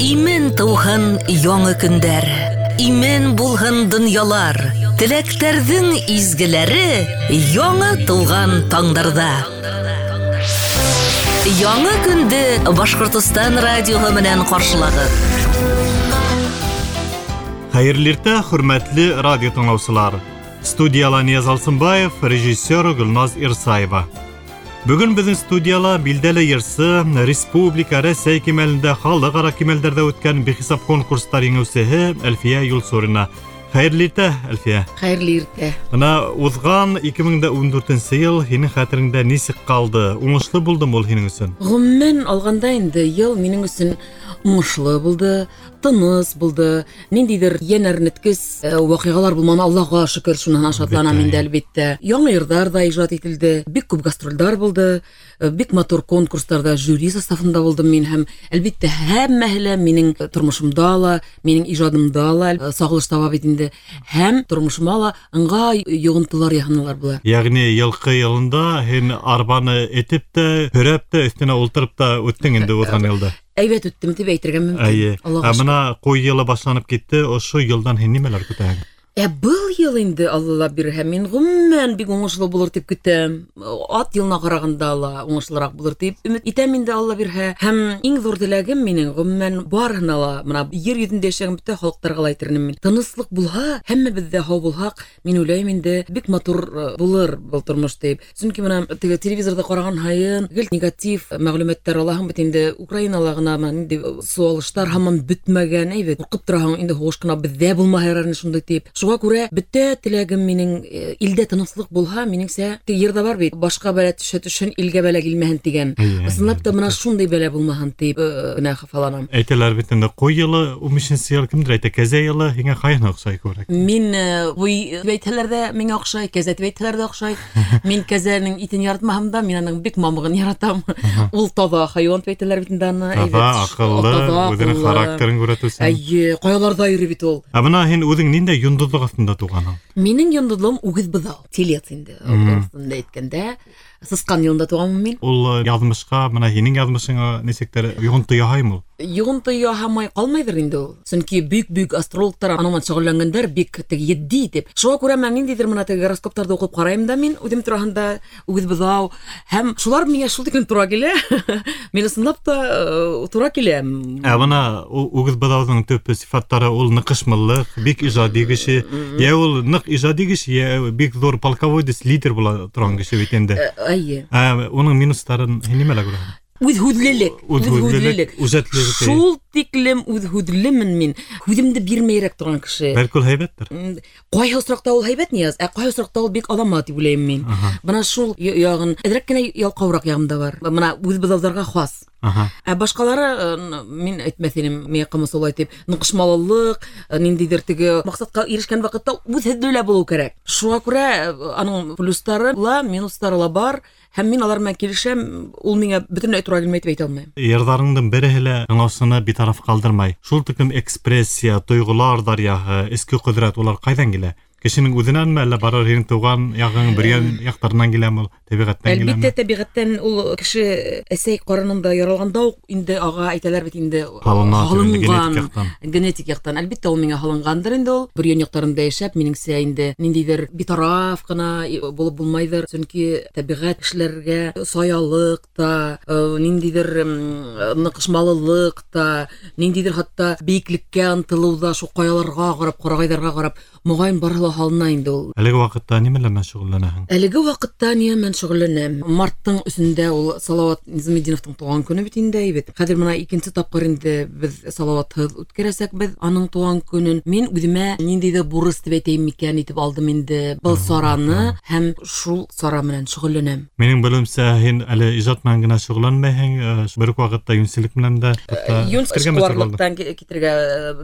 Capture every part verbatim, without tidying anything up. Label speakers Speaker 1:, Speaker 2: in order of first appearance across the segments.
Speaker 1: Имен тыуһын яңы көндәр, имен булһын донъялар, теләктәрҙең изгеләре яңы тыуған таңдарҙа. Яңы көндө Башҡортостан радиоһы менән ҡаршылағыҙ.
Speaker 2: Хәйерле иртә, хөрмәтле радио тыңлаусылар. Студияла Нияз Алсынбаев, режиссер Гөлназ Ирсаева. Бөгөн беҙҙең студияла билдәле йырсы, республика, Рәсәй кимәлендә, халыҡ-ара кимәлдәрҙә үткән бихисап конкурстар еңеүсеһе Әлфиә Юлсурина. Хәйерле иртә, Әлфиә.
Speaker 3: Хәйерле иртә.
Speaker 2: Бына уҙған ике мең дә ун дүртенсе йыл һинең хәтереңдә нисек ҡалды? Уңышлы булдымы ул һинең өсөн?
Speaker 3: Ғөмүмән алғанда инде йыл минең өсөн уңышлы булды, тыныс булды. Ниндәйҙер йән әрнеткес ваҡиғалар булманы, Аллаға шөкөр, шунан шатланам инде, әлбиттә. Яңы йырҙар ҙа ижад ителде, бик күп гастролдәр булды, бик матур конкурстарҙа жюри составында булдым мин һәм әлбиттә һәммәһе лә минең тормошомда ла, минең ижадымда ла сағылыш таба бит инде. Һәм тормошома ла ыңғай йоғонтолар яһанылар була.
Speaker 2: Йәғни йылҡы йылында һин арбаны этеп тә, һөрәп тә, өҫтөнә ултырып та үттең инде уҙған йылда.
Speaker 3: Әйбәт үттем тип әйтергә мөмкин.
Speaker 2: Әйе. Ә бына ҡуй йылы башланып китте, ошо йылдан һин нимәләр көтәһең?
Speaker 3: Ә был йыл инде Алла бирһә, мин ғөмүмән бик уңышлы булыр тип көтәм. Ат йылына ҡарағанда ла уңышлыраҡ булыр тип өмөт итәм инде, Алла бирһә. Һәм иң ҙур теләгем минең ғөмүмән барыһына ла, бына ер йөҙөндә йәшәгән бөтә халыҡтарға ла әйтер инем мин. Тыныслыҡ булһа, һәммәбеҙ дә һау булһаҡ, мин уйлайым инде бик матур булыр был тормош тип. Сөнки бына теге телевизорҙа ҡараған һайын гел негатив мәғлүмәттәр алаһың бит инде. Украинала ғына бына ниндәй суалыштар һаман бөтмәгән, әйбәт. Ҡурҡып тораһың инде, һуғыш ҡына беҙҙә булмаһа ярар ине шундай тип. Шуға күрә бөтә теләгем минең илдә тыныслыҡ булһа, минеңсә, теге йырҙа бар бит, башҡа бәлә төшә төшһөн, илгә бәлә килмәһен тигән. Ысынлап та бына шундай бәлә булмаһын тип генә хафаланам.
Speaker 2: Әйтәләр бит инде, ҡуй йылы, ун бишенсе йыл кемдер әйтә, кәзә йылы, һиңә ҡайһына оҡшай күберәк?
Speaker 3: Мин ҡуй тип әйтһәләр ҙә миңә оҡшай, кәзә тип әйтһәләр ҙә оҡшай. Мин кәзәнең итен яратмаһам да, мин аның бик мамығын яратам. Ул таҙа хайуан тип әйтәләр бит инде аны.
Speaker 2: Таҙа, аҡыллы, үҙенең характерын күрһәтеүсән.
Speaker 3: Эйе, ҡаяларҙа йөрөй бит ул.
Speaker 2: Ә бына һин үҙең ниндәй йондоҙлоҡ аҫтында тыуғанһың?
Speaker 3: Минең йондоҙлоғом үгеҙ быҙау, телец инде, урыҫында әйткәндә. Сысҡан йылында тыуғанмын мин.
Speaker 2: Ул яҙмышҡа, бына һинең яҙмышыңа нисектер йоғонто яһаймы ул?
Speaker 3: Йоғонто яһамай ҡалмайҙыр инде ул. Сөнки бөйөк-бөйөк астрологтар аның менән шөғөлләнгәндәр, бик теге етди итеп. Шуға күрә мин ниндәйҙер бына теге гороскоптарҙы уҡып ҡарайым да мин үҙем тураһында үгеҙ быҙау, һәм шулар миңә шул тиклем тура килә. Мин ысынлап та тура киләм.
Speaker 2: Ә бына үгеҙ быҙауҙың төп сифаттары ул ныҡышмаллыҡ, бик ижади кеше. Йә ул ныҡ ижади кеше, йә бик ҙур полководец, лидер була торған кеше бит инде.
Speaker 3: Әйе.
Speaker 2: Ә уның минустарын һин нимәлә күрәһең?
Speaker 3: Үҙ һүҙлелек, үҙ һүҙлелек,
Speaker 2: үҙәтлелек.
Speaker 3: Шул тиклем үҙ һүҙлемен мин. Һүҙемде бирмәйерәк торған кеше.
Speaker 2: Бәлки ул һәйбәттер.
Speaker 3: Ҡайһы осраҡта ул һәйбәт, Нияз, ә ҡайһы осраҡта ул бик алама тип уйлайым мин. Бына шул яғын, әҙерәк кенә ялҡауыраҡ яғым да бар. Бына үҙ быҙауҙарға хас.
Speaker 2: Аһа.
Speaker 3: Ә башҡалары, мин әйтмәҫ инем, миңә ҡамасаулай тип, ныҡышмалылыҡ, ниндәйҙер теге маҡсатҡа ирешкән ваҡытта үҙ һүҙле лә булыу кәрәк. Шуға күрә аның плюстары ла, минустары ла бар. Һәм мин алар менән килешәм, ул миңә бөтөнләй тура килмәй тип әйтә алмайым.
Speaker 2: Йырҙарыңдың береһе лә тыңлаусыны битараф ҡалдырмай. Шул тиклем экспрессия, тойғолар даръяһы, эске ҡөҙрәт, улар ҡайҙан килә? Кешенең үҙенәнме, әллә барыр һинең тыуған яғың, бергән яҡтарынан киләме ул, тәбиғәттән киләме?
Speaker 3: Әлбиттә, тәбиғәттән. Ул кеше әсәй ҡарынында яралғанда уҡ инде аға әйтәләр бит инде,
Speaker 2: Һалына,
Speaker 3: һалынған,
Speaker 2: генетик яҡтан.
Speaker 3: Генетик яҡтан. Әлбиттә, ул миңә һалынғандыр инде ул. Бөрйән яҡтарында йәшәп, минеңсә инде ниндәйҙер битараф ҡына булып булмайҙыр. Сөнки тәбиғәт кешеләргә саялыҡ та, ниндәйҙер ныҡышмалылыҡ та, ниндәйҙер хатта бейеклеккә ынтылыу ҙа, шул ҡаяларға ҡарап, ҡарағайҙарға ҡарап, моғайын барыһы ла һалына инде ул.
Speaker 2: Әлеге ваҡытта нимәләр менән шөғөлләнәһең?
Speaker 3: Әлеге ваҡытта нимә менән шөғөлләнәм? Марттың өсөндә ул Салауат Низаметдиновтың тыуған көнө бит инде, әйбәт. Хәҙер бына икенсе тапҡыр инде беҙ Салауатһыҙ үткәрәсәкбеҙ аның тыуған көнөн. Мин үҙемә ниндәй ҙә бурыс тип әйтәйем микән итеп алдым инде был сараны һәм шул сара менән шөғөлләнәм.
Speaker 2: Минең белеүемсә, һин әле ижад менән генә шөғөлләнмәйһең, бер үк ваҡытта йүнселек менән дә, хатта
Speaker 3: Юнс
Speaker 2: китергә мәжбүр булдың.
Speaker 3: эшҡыуарлыҡтан китергә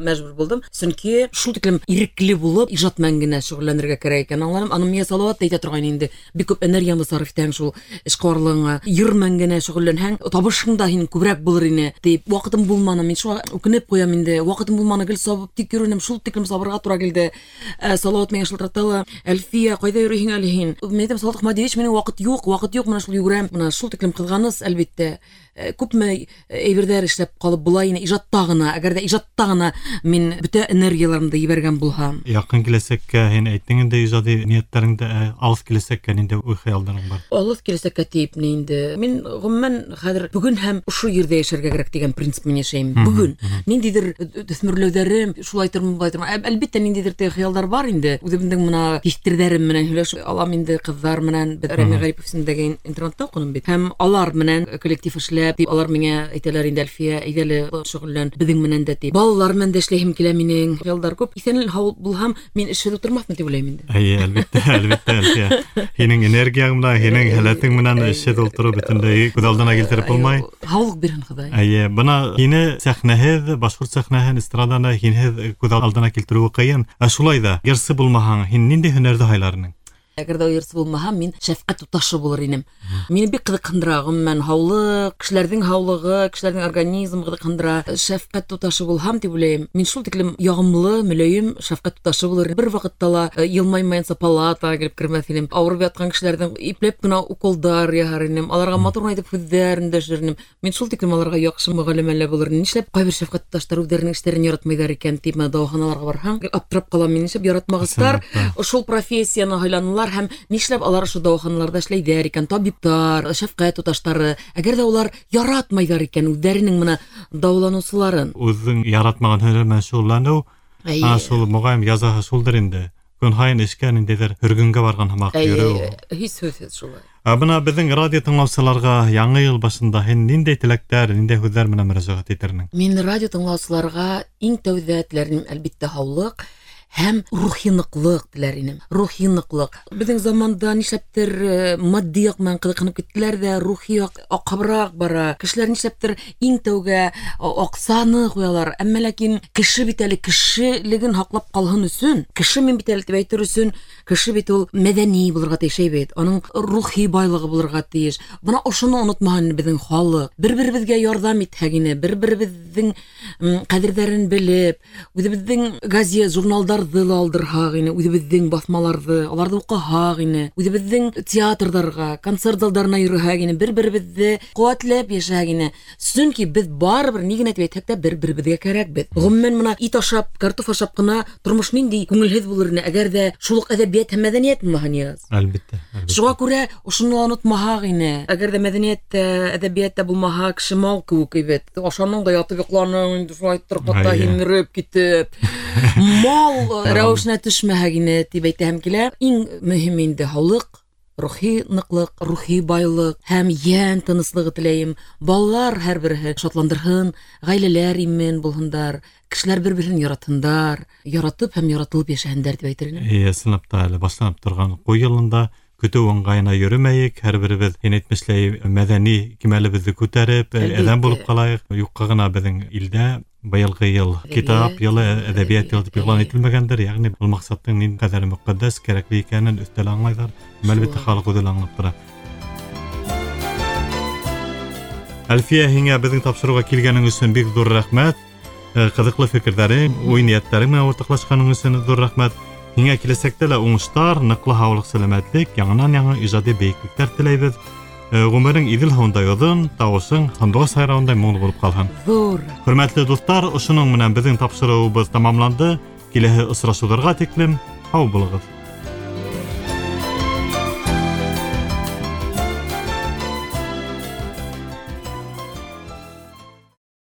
Speaker 3: мәжбүр булдым, сөнки шул тиклем ирекле булып ижад менән генә шөғөлләнергә кәрәк икән аңланым. Аны миңә Салауат та әйтә торған инде. Бик күп энергияңды сарыф итәһең шул эшҡыуарлығыңа. Йыр менән генә шөғөлләнһәң, табышың да һинең күберәк булыр ине тип. Ваҡытым булманы, мин шуға үкенеп ҡуям инде. Ваҡытым булманы, гел сабып тик йөрөнөм, шул тиклем сабырға тура килде. Ә, Салауат миңә шылтырата ла, Әлфиә, ҡайҙа йөрөйһөң әле һин? Мин әйтәм, Салауат Ахмадиевич, минең ваҡыт юҡ, ваҡыт юҡ, бына шул йүгерәм. Бына шул тиклем ҡыҙғаныс, әлбиттә. Күпме әйберҙәр эшләп ҡалып була ине ижадта ғына, әгәр ҙә ижадта ғына мин бөтә энергияларымды ебәргән булһам.
Speaker 2: Яҡын киләсәккә һин әйттең инде ижади ниәттәреңде, алыҫ киләсәккә ниндәй уй-хыялдарың бар?
Speaker 3: Алыҫ киләсәккә тип ни инде? Мин ғөмүмән хәҙер бөгөн һәм ошо ерҙә йәшәргә кәрәк тигән принцип менән йәшәйем. Бөгөн ниндәйҙер төҫмөрләүҙәрем, шулай тормам, былай тормам. Әлбиттә, ниндәйҙер теге хыялдар бар инде. Үҙемдең мына тиҫтерҙәрем менән һөйләшеп алам инде, ҡыҙҙар менән. Беҙ Рәми Ғарипов исемендәге интернатта уҡыным бит. Һәм алар менән коллектив эшләп, тип алар миңә әйтәләр инде, Әлфиә, әйҙә лә шөғөллән беҙҙең менән дә тип. Балалар менән дә эшләйһем килә минең. Хыялдар күп. Иҫән һау булһам, мин эшһеҙ ултырмаҫмын тип уйлайым инде.
Speaker 2: Эйе, әлбиттә, әлбиттә, Әлфиә. Һинең энергияң менән, һинең һәләтең менән эшһеҙ ултырыу бөтөнләй күҙ алдына килтереп булмай.
Speaker 3: Һаулыҡ бирһен Хоҙай.
Speaker 2: Эйе, бына һине сәхнәһеҙ, башҡорт сәхнәһен, эстраданы һинһеҙ күҙ алдына килтереүе ҡыйын. Ә шулай ҙа йырсы булмаһаң, һин ниндәй һөнәрҙе һайлар инең?
Speaker 3: Әгәр ҙә йырсы булмаһам, мин шәфҡәт туташы булыр инем. Мине бик ҡыҙыҡһындыра, ғөмүмән, һаулыҡ, кешеләрҙең һаулығы, кешеләрҙең организмы ҡыҙыҡһындыра. Шәфҡәт туташы булһам тип уйлайым. Мин шул тиклем яғымлы, мөләйем шәфҡәт туташы булыр. Бер ваҡытта ла йылмаймайынса палатаға килеп кермәҫ инем. Ауырып ятҡан кешеләрҙең ипләп кенә уколдар яһар инем. Аларға матур ғына итеп һүҙҙәр өндәшер инем. Мин шул тиклем аларға яҡшы мөғәллимә булыр инем. Нишләп ҡайбер шәфҡәт туташтары үҙҙәренең эштәрен яратмайҙар икән тип, менә дауаханаларға барһаң, аптырап ҡалам мин. Нишләп яратмағыстар шул профессияны һайланылар һәм нишләп алар ошо дауаханаларҙа эшләйҙәр икән, табиптар, шәфҡәт туташтары, әгәр ҙә улар яратмайҙар икән үҙҙәренең мына дауаланыусыларын.
Speaker 2: Үҙең яратмаған һөнәр менән шөғөлләнеү, ана шул моғайым язаһы шулдыр инде. Көн һайын эшкә ниндәйҙер һөргөнгә барған һымаҡ йөрөү.
Speaker 3: Һис һүҙһеҙ шулай.
Speaker 2: Ә бына беҙҙең радио тыңлаусыларға яңы йыл башында һин ниндәй теләктәр, ниндәй һүҙҙәр менән мөрәжәғәт итер инең?
Speaker 3: Мин радио тыңлаусыларға иң тәүҙә теләр инем, әлбиттә, һаулыҡ һәм рухи ныҡлыҡ теләр инем. Рухи ныҡлыҡ. Беҙҙең заманда нишләптер матди яҡ менән ҡыҙыҡһынып киттеләр ҙә, рухи яҡ аҡабыраҡ бара. Кешеләр нишләптер иң тәүгә аҡсаны ҡуялар. Әммә ләкин кеше бит әле кешелеген һаҡлап ҡалһын өсөн, кеше мин бит әле тип әйтер өсөн, кеше бит ул мәҙәни булырға тейеш бит. Аның рухи байлығы булырға тейеш. Бына ошоно онотмаһын беҙҙең халыҡ. Бер-беребеҙгә ярҙам итһәк ине, бер-беребеҙҙең ҡәҙерҙәрен белеп, үҙебеҙҙең газет, журналдар ла алдырһаҡ ине, үҙебеҙҙең баҫмаларҙы, аларҙы уҡыһаҡ ине, үҙебеҙҙең театрҙарға, концерт залдарына йөрөһәк ине, бер-беребеҙҙе ҡеүәтләп йәшәһәк ине. Сөнки беҙ барыбер ни генә тип әйтһәк тә бер-беребеҙгә кәрәкбеҙ. Ғөмүмән, мына ит ашап, картоф ашап ҡына тормош ниндәй күңелһеҙ булыр ине, әгәр ҙә шул уҡ әҙәбиәт һәм мәҙәниәт булмаһа, Нияз.
Speaker 2: Әлбиттә, әлбиттә.
Speaker 3: Шуға күрә ошоно ла онотмаһаҡ ине. Әгәр ҙә мәҙәниәт тә, әҙәбиәт тә булмаһа, кеше мал кеүек бит. Ашаның да ятып йоҡланың, инде шулай торҡата һимереп китеп. Мал рәүешенә төшмәһәк ине тип әйтәһем килә. Иң мөһиме инде һаулыҡ, рухи ныҡлыҡ, рухи байлыҡ һәм йән тыныслығы теләйем. Балалар һәр береһе шатландырһын, ғаиләләр имен булһындар, кешеләр бер-береһен яратһындар, яратып һәм яратылып йәшәһендәр тип әйтер инем.
Speaker 2: Эйе, ысынлап та әле башланып торған ҡуй йылында көтөү ыңғайына йөрөмәйек, һәр беребеҙ һин әйтмешләй мәҙәни кимәлебеҙҙе күтәреп, әҙәм булып ҡалайыҡ. Юҡҡа ғына беҙҙең илдә быйылғы йыл китап йылы, әҙәбиәт йылы тип иғлан ителмәгәндер. Йәғни был маҡсаттың ни ҡәҙәр мөҡәддәс, кәрәкле икәнен өҫтәл аңлайҙар. Әлбиттә, халыҡ үҙе лә аңлап тора. Әлфиә, һиңә беҙҙең тапшырыуға килгәнең өсөн бик ҙур рәхмәт. Ҡыҙыҡлы фекерҙәрең, уй-ниәттәрең менән уртаҡлашҡаның өсөн ҙур рәхмәт. Һиңә киләсәктә лә уңыштар, ныҡлы һаулыҡ, сәләмәтлек, яңынан-яңы ижади бейеклектәр теләйбеҙ. Ғүмерең Иҙел һыуындай оҙон, тауышың һандуғас һайрауындай моңло булып ҡалһын.
Speaker 3: Ҙур.
Speaker 2: Хөрмәтле дуҫтар, ошоноң менән беҙҙең тапшырыуыбыҙ тамамланды. Киләһе осрашыуҙарға тиклем һау булығыҙ.